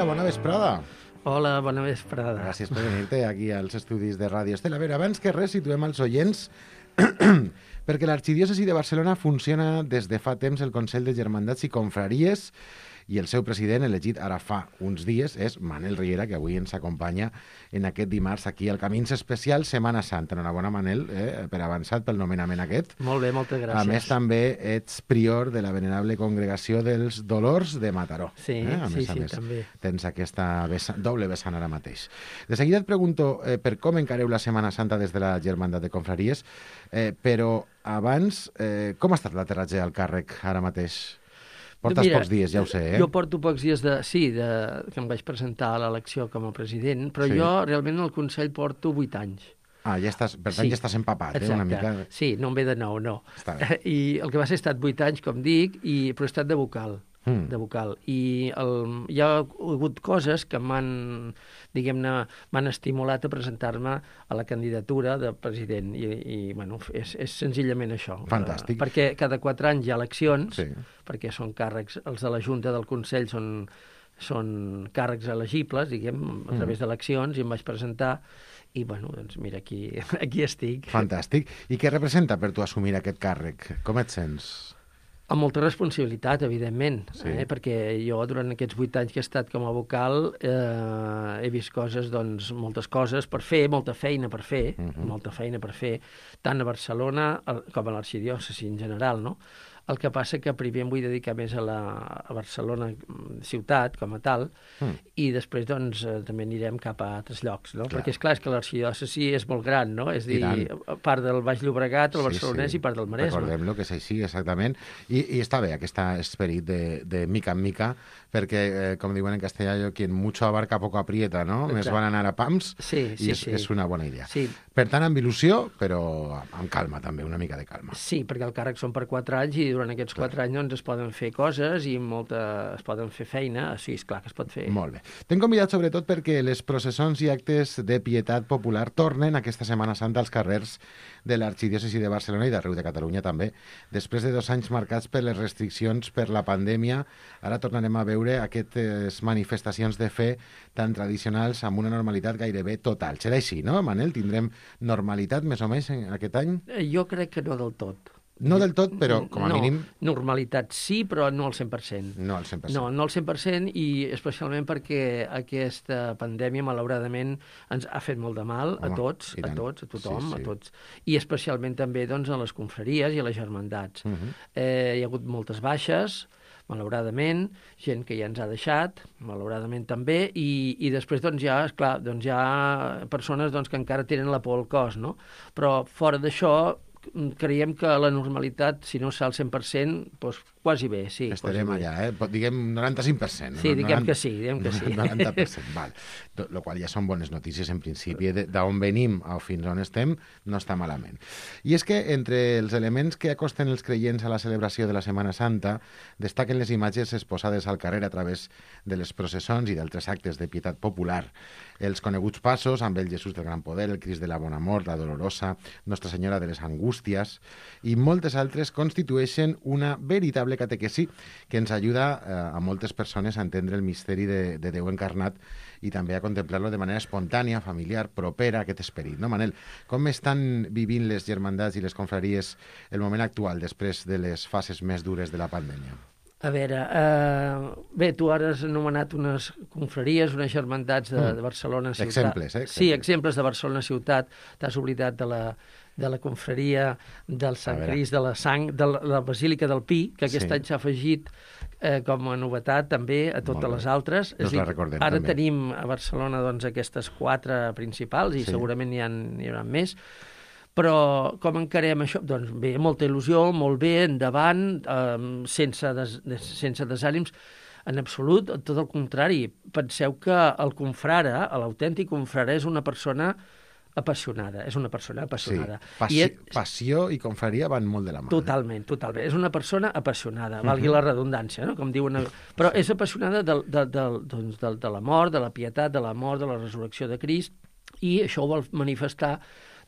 Vera, bona vesprada. Hola, bona vesprada. Gràcies per venir-te aquí als estudis de Ràdio Estel. A veure, abans que res, situem als oients perquè l'Arxidiòcesi de Barcelona funciona des de fa temps el Consell de Germandats i Confraries i el seu president, elegit ara fa uns dies, és Manel Riera, que avui ens acompanya en aquest dimarts aquí al Camins Especial Setmana Santa. Enhorabona, Manel, per avançat pel nomenament aquest. Molt bé, moltes gràcies. A més, també ets prior de la venerable Congregació dels Dolors de Mataró. Sí, A més, també. Tens aquesta doble vessant ara mateix. De seguida et pregunto per com encareu la Setmana Santa des de la Germandat de Confraries, però abans, com ha estat l'aterratge al càrrec ara mateix? Portes pocs dies, ja ho sé, Jo porto pocs dies que em vaig presentar a l'elecció com a president, però jo realment al Consell porto 8 anys. Ja estàs, per tant ja estàs empapat, una mica. Sí, no em ve de nou, no. I el que va ser estat 8 anys, com dic, però he estat de vocal. De vocal. I hi ha hagut coses que m'han estimulat a presentar-me a la candidatura de president i bueno, és senzillament això. Fantàstic. Perquè cada 4 anys hi ha eleccions, perquè són càrrecs, els de la Junta del Consell són càrrecs elegibles, diguem, a través d'eleccions, i em vaig presentar i, bueno, doncs mira, aquí estic. Fantàstic. I què representa per tu assumir aquest càrrec? Com et sents? Amb molta responsabilitat, evidentment, perquè jo durant aquests 8 anys que he estat com a vocal he vist coses, doncs, moltes coses per fer, molta feina per fer, tant a Barcelona com a l'Arxidiòcesi en general, no? El que passa que primer em vull dedicar més a Barcelona ciutat com a tal i després doncs també anirem cap a altres llocs, no? Perquè és clar que l'Arxidiòcesi és molt gran, no? És dir, part del Baix Llobregat, el Barcelonès i part del Maresme. Recordem-lo que és així, exactament. I està bé aquest esperit de mica en mica, perquè, com diuen en castellà, quien mucho abarca poco aprieta, no? Més van anar a pams i és una bona idea. Per tant, amb il·lusió, però amb calma també, una mica de calma. Sí, perquè el càrrec són per 4 anys i durant aquests 4 anys doncs, es poden fer coses i es poden fer feina. Sí, és clar que es pot fer. Molt bé. T'hem convidat sobretot perquè les processons i actes de pietat popular tornen aquesta Setmana Santa als carrers de l'Arxidiòcesi de Barcelona i d'arreu de Catalunya també. Després de 2 anys marcats per les restriccions per la pandèmia, ara tornarem a veure aquestes manifestacions de fe tan tradicionals amb una normalitat gairebé total. Serà així, no, Manel? Tindrem normalitat més o menys aquest any? Jo crec que no del tot. No del tot, però com a mínim... Normalitat sí, però no al 100%. No al 100%. No al 100% i especialment perquè aquesta pandèmia, malauradament, ens ha fet molt de mal a tots, a tothom, a tots. I especialment també doncs, a les confraries i a les germandats. Hi ha hagut moltes baixes, malauradament, gent que ja ens ha deixat, malauradament també, i després doncs, hi ha persones doncs, que encara tenen la por al cos, no? Però fora d'això, creiem que la normalitat, si no serà al 100%, doncs quasi bé, sí. Estarem allà, diguem 95%. Sí, diguem que sí. 90%, val. Lo qual ja són bones notícies, en principi. D'on venim a fins on estem, no està malament. I és que entre els elements que acosten els creients a la celebració de la Setmana Santa destaquen les imatges exposades al carrer a través de les processons i d'altres actes de pietat popular. Els coneguts passos amb el Jesús del Gran Poder, el Crist de la Bona Mort, la Dolorosa, Nostra Senyora de les Angústies i moltes altres constitueixen una veritable catequesi que ens ajuda a moltes persones a entendre el misteri de Déu encarnat i també a contemplar-lo de manera espontània, familiar, propera a aquest esperit. No, Manel? Com estan vivint les germandats i les confraries el moment actual després de les fases més dures de la pandèmia? A veure, bé, tu ara has anomenat unes confraries, unes germandats de Barcelona ciutat. Exemples, Sí, exemples de Barcelona ciutat. T'has oblidat de la confraria del Sant Crist de la Sang, de la Basílica del Pi, que aquest any s'ha afegit com a novetat també a totes les altres. La recordem, ara també. tenim a Barcelona doncs, aquestes 4 principals i segurament n'hi haurà més. Però com encarem això? Doncs bé, molta il·lusió, molt bé, endavant, sense desànims, en absolut, tot el contrari. Penseu que el confrare, l'autèntic confrare, és una persona apassionada, Sí, passió i confraria van molt de la mà. Totalment. És una persona apassionada, valgui la redundància, no? Com diuen... Però és apassionada de la mort, de la pietat, de la mort, de la resurrecció de Crist, i això ho vol manifestar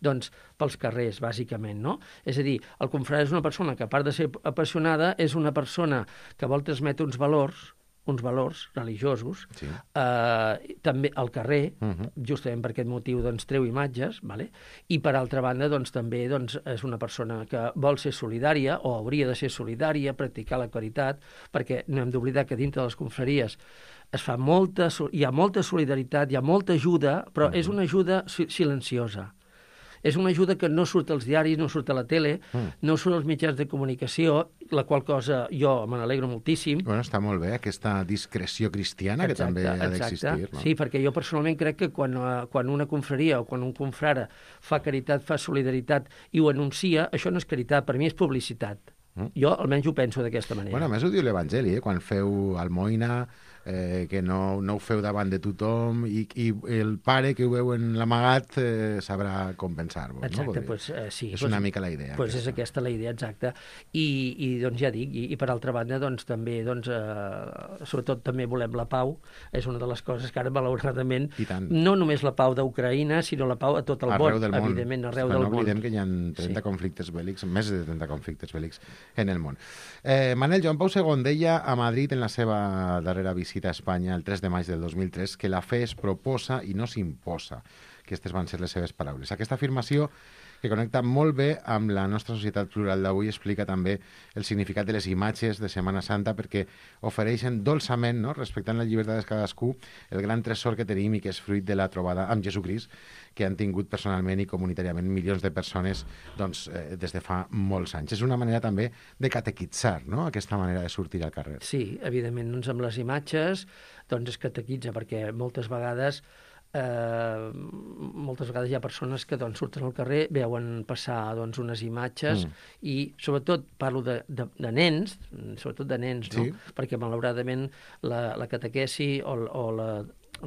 doncs, pels carrers, bàsicament, no? És a dir, el confrare és una persona que, a part de ser apassionada, és una persona que vol transmetre uns valors uns valors religiosos, també al carrer, justament per aquest motiu doncs, treu imatges, vale? I per altra banda doncs, també doncs, és una persona que vol ser solidària o hauria de ser solidària, practicar la caritat, perquè no hem d'oblidar que dintre de les confraries hi ha molta solidaritat, hi ha molta ajuda, però és una ajuda silenciosa. És una ajuda que no surt als diaris, no surt a la tele, no surt als mitjans de comunicació, la qual cosa jo me n'alegro moltíssim. Bueno, està molt bé, aquesta discreció cristiana que també ha d'existir. No? Sí, perquè jo personalment crec que quan una confraria o quan un confrare fa caritat, fa solidaritat i ho anuncia, això no és caritat, per mi és publicitat. Jo almenys ho penso d'aquesta manera. Bueno, a més ho diu l'Evangeli, quan feu almoina, que no ho feu davant de tothom i el pare que ho veu en l'amagat sabrà compensar-vos. Exacte, no? Pues, sí. És una mica la idea. Pues és aquesta la idea, exacta. I doncs ja dic, i per altra banda, doncs també, sobretot també volem la pau, és una de les coses que ara, malauradament, no només la pau d'Ucraïna, sinó la pau a tot el món, evidentment, arreu del món. No oblidem que hi ha 30 conflictes bèl·lics, més de 30 conflictes bèl·lics en el món. Manel, Joan Pau II deia a Madrid en la seva darrera visita a Espanya el 3 de maig del 2003 que la fe es proposa i no s'imposa. Aquestes van ser les seves paraules. Aquesta afirmació, que connecta molt bé amb la nostra societat plural d'avui, explica també el significat de les imatges de Setmana Santa, perquè ofereixen dolçament, no?, respectant la llibertat de cadascú, el gran tresor que tenim i que és fruit de la trobada amb Jesucrist, que han tingut personalment i comunitàriament milions de persones doncs, des de fa molts anys. És una manera també de catequitzar, no?, aquesta manera de sortir al carrer. Sí, evidentment, doncs amb les imatges doncs es catequitza, perquè moltes vegades hi ha persones que doncs, surten al carrer, veuen passar doncs, unes imatges i sobretot parlo de nens, sobretot de nens, no? Sí. Perquè malauradament la catequesi o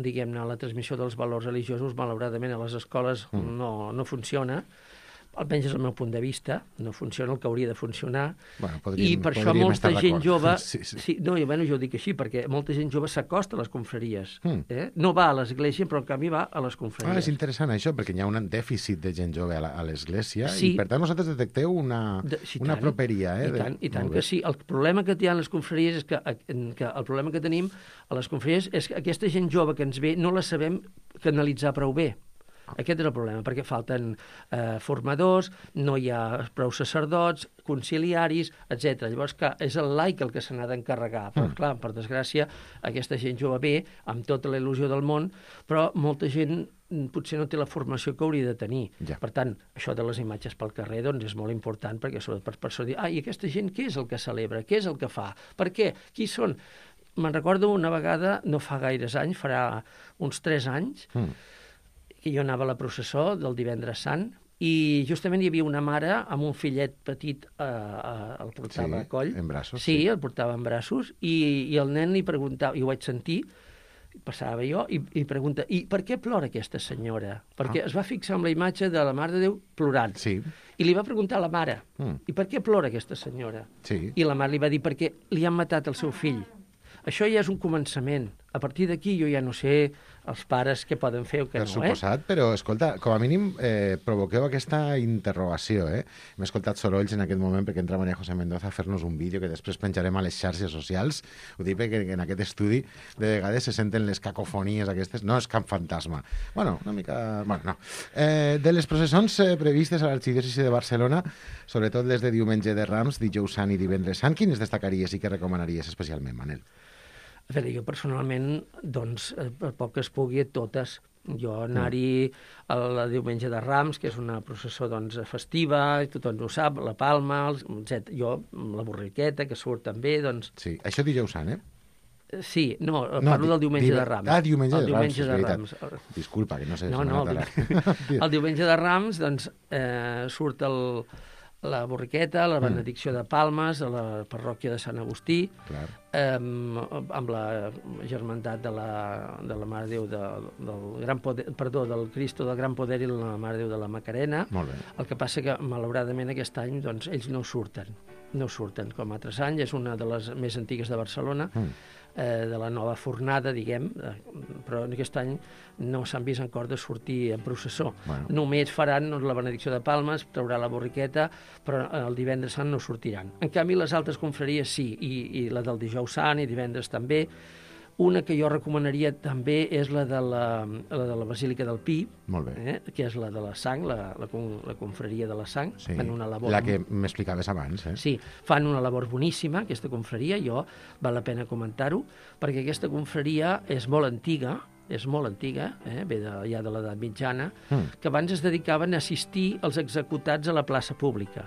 diguem-ne, la transmissió dels valors religiosos malauradament a les escoles no funciona. Almenys és el meu punt de vista, no funciona el que hauria de funcionar, i per això molta gent jove... Jo ho dic així, perquè molta gent jove s'acosta a les confraries. No va a l'església, però en canvi va a les confraries. És interessant això, perquè hi ha un dèficit de gent jove a l'església, i per tant vosaltres detecteu una properia. I tant que sí. El problema que hi ha a les confraries és que el problema que tenim a les confraries és que aquesta gent jove que ens ve no la sabem canalitzar prou bé. Aquest és el problema, perquè falten formadors, no hi ha prou sacerdots, conciliaris, etc. Llavors, clar, és el laic el que se n'ha d'encarregar. Però, clar, per desgràcia, aquesta gent jove ve amb tota la il·lusió del món, però molta gent potser no té la formació que hauria de tenir. Ja. Per tant, això de les imatges pel carrer doncs, és molt important, perquè sobretot per persones dir, i aquesta gent què és el que celebra? Què és el que fa? Per què? Qui són? Me'n recordo una vegada, no fa gaires anys, farà uns 3 anys, que jo anava a la processó del Divendres Sant i justament hi havia una mare amb un fillet petit, el portava a coll. En braços. Sí, el portava en braços, i el nen li preguntava, i ho vaig sentir, passava jo, i pregunta, i per què plora aquesta senyora? Perquè es va fixar en la imatge de la Mare de Déu plorant. Sí. I li va preguntar a la mare, i per què plora aquesta senyora? Sí. I la mare li va dir, perquè li han matat el seu fill. Això ja és un començament. A partir d'aquí jo ja no sé els pares què poden fer o què no. Per suposat, però, escolta, com a mínim provoqueu aquesta interrogació. M'he escoltat sorolls en aquest moment perquè entra María José Mendoza a fer-nos un vídeo que després penjarem a les xarxes socials. Ho dic perquè en aquest estudi de vegades se senten les cacofonies aquestes. No és cap fantasma. Bueno, una mica... Bueno, no. De les processons previstes a l'Arxidiòcesi de Barcelona, sobretot les de diumenge de Rams, dijous Sant i divendres Sant, quines destacaries i què recomanaries especialment, Manel? A veure, jo personalment, doncs, per poc que es pugui, totes. Jo anar-hi el diumenge de Rams, que és una processó doncs, festiva, tothom ho sap, la Palma, etc. Jo, la borriqueta, que surt també, doncs... Sí, això dijous Sant, Sí, no, parlo del diumenge de Rams. Diumenge de Rams, és veritat. Disculpa, que no sé... El diumenge de Rams, doncs, surt la borriqueta, la benedicció de Palmes, a la parròquia de Sant Agustí, amb la germandat de la Mare de Déu del Gran Poder, del Cristo del Gran Poder i la Mare de Déu de la Macarena. Molt bé. El que passa que, malauradament, aquest any doncs, ells no surten com altres anys, és una de les més antigues de Barcelona, de la nova fornada, diguem, però aquest any no s'han vist encara de sortir en processó. Bueno. Només faran la benedicció de Palmes, traurà la borriqueta, però el divendres Sant no sortiran. En canvi, les altres confraries sí, i la del dijous dijous sant i divendres també. Una que jo recomanaria també és la de la Basílica del Pi, Molt bé. que és la de la sang, la confraria de la sang. Sí, Fan una labor... la que m'explicaves abans. Sí, fan una labor boníssima, aquesta confraria, val la pena comentar-ho, perquè aquesta confraria és molt antiga, ve ja de l'edat mitjana, que abans es dedicaven a assistir als executats a la plaça pública.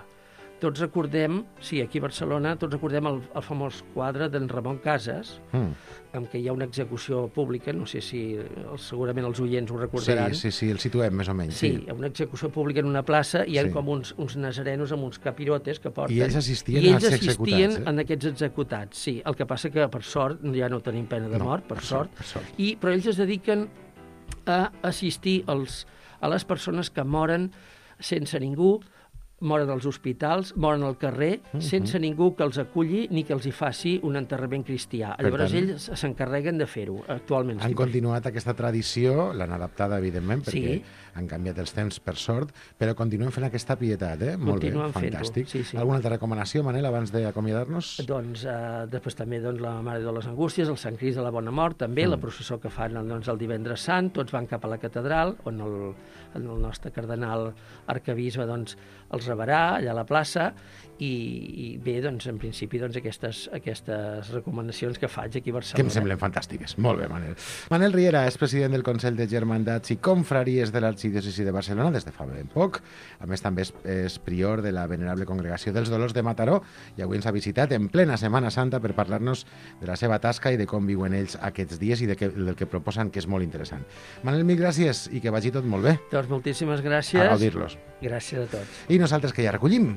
Tots recordem, aquí a Barcelona, el famós quadre d'en Ramon Casas, en què hi ha una execució pública, no sé si segurament els oients ho recordaran. Sí, el situem més o menys. Sí, hi ha una execució pública en una plaça i hi ha com uns nazarenos amb uns capirotes que porten... I ells assistien als executats. En aquests executats, sí. El que passa que, per sort, ja no tenim pena de mort, per sort. Però ells es dediquen a assistir a les persones que moren sense ningú, moren als hospitals, moren al carrer, sense ningú que els aculli ni que els hi faci un enterrament cristià. Llavors ells s'encarreguen de fer-ho, actualment. Han continuat aquesta tradició, l'han adaptada, evidentment, perquè han canviat els temps, per sort, però continuen fent aquesta pietat, Molt bé, fantàstic. Alguna altra recomanació, Manel, abans d'acomiadar-nos? Doncs després també la Mare de les Angústies, el Sant Crist de la Bona Mort, també, la processó que fan el divendres sant, tots van cap a la catedral, on el nostre cardenal arcabisbe els rebrà allà a la plaça, i bé, en principi, aquestes recomanacions que faig aquí a Barcelona. Que em semblen fantàstiques. Molt bé, Manel. Manel Riera és president del Consell de Germandats i Confraries de l'Arxidiòcesi de Barcelona des de fa ben poc. A més, també és prior de la Venerable Congregació dels Dolors de Mataró i avui ens ha visitat en plena Setmana Santa per parlar-nos de la seva tasca i de com viuen ells aquests dies i del que proposen, que és molt interessant. Manel, mil gràcies i que vagi tot molt bé. Doncs moltíssimes gràcies. A gaudir-los. Gràcies a tots. I nosaltres que ja recollim.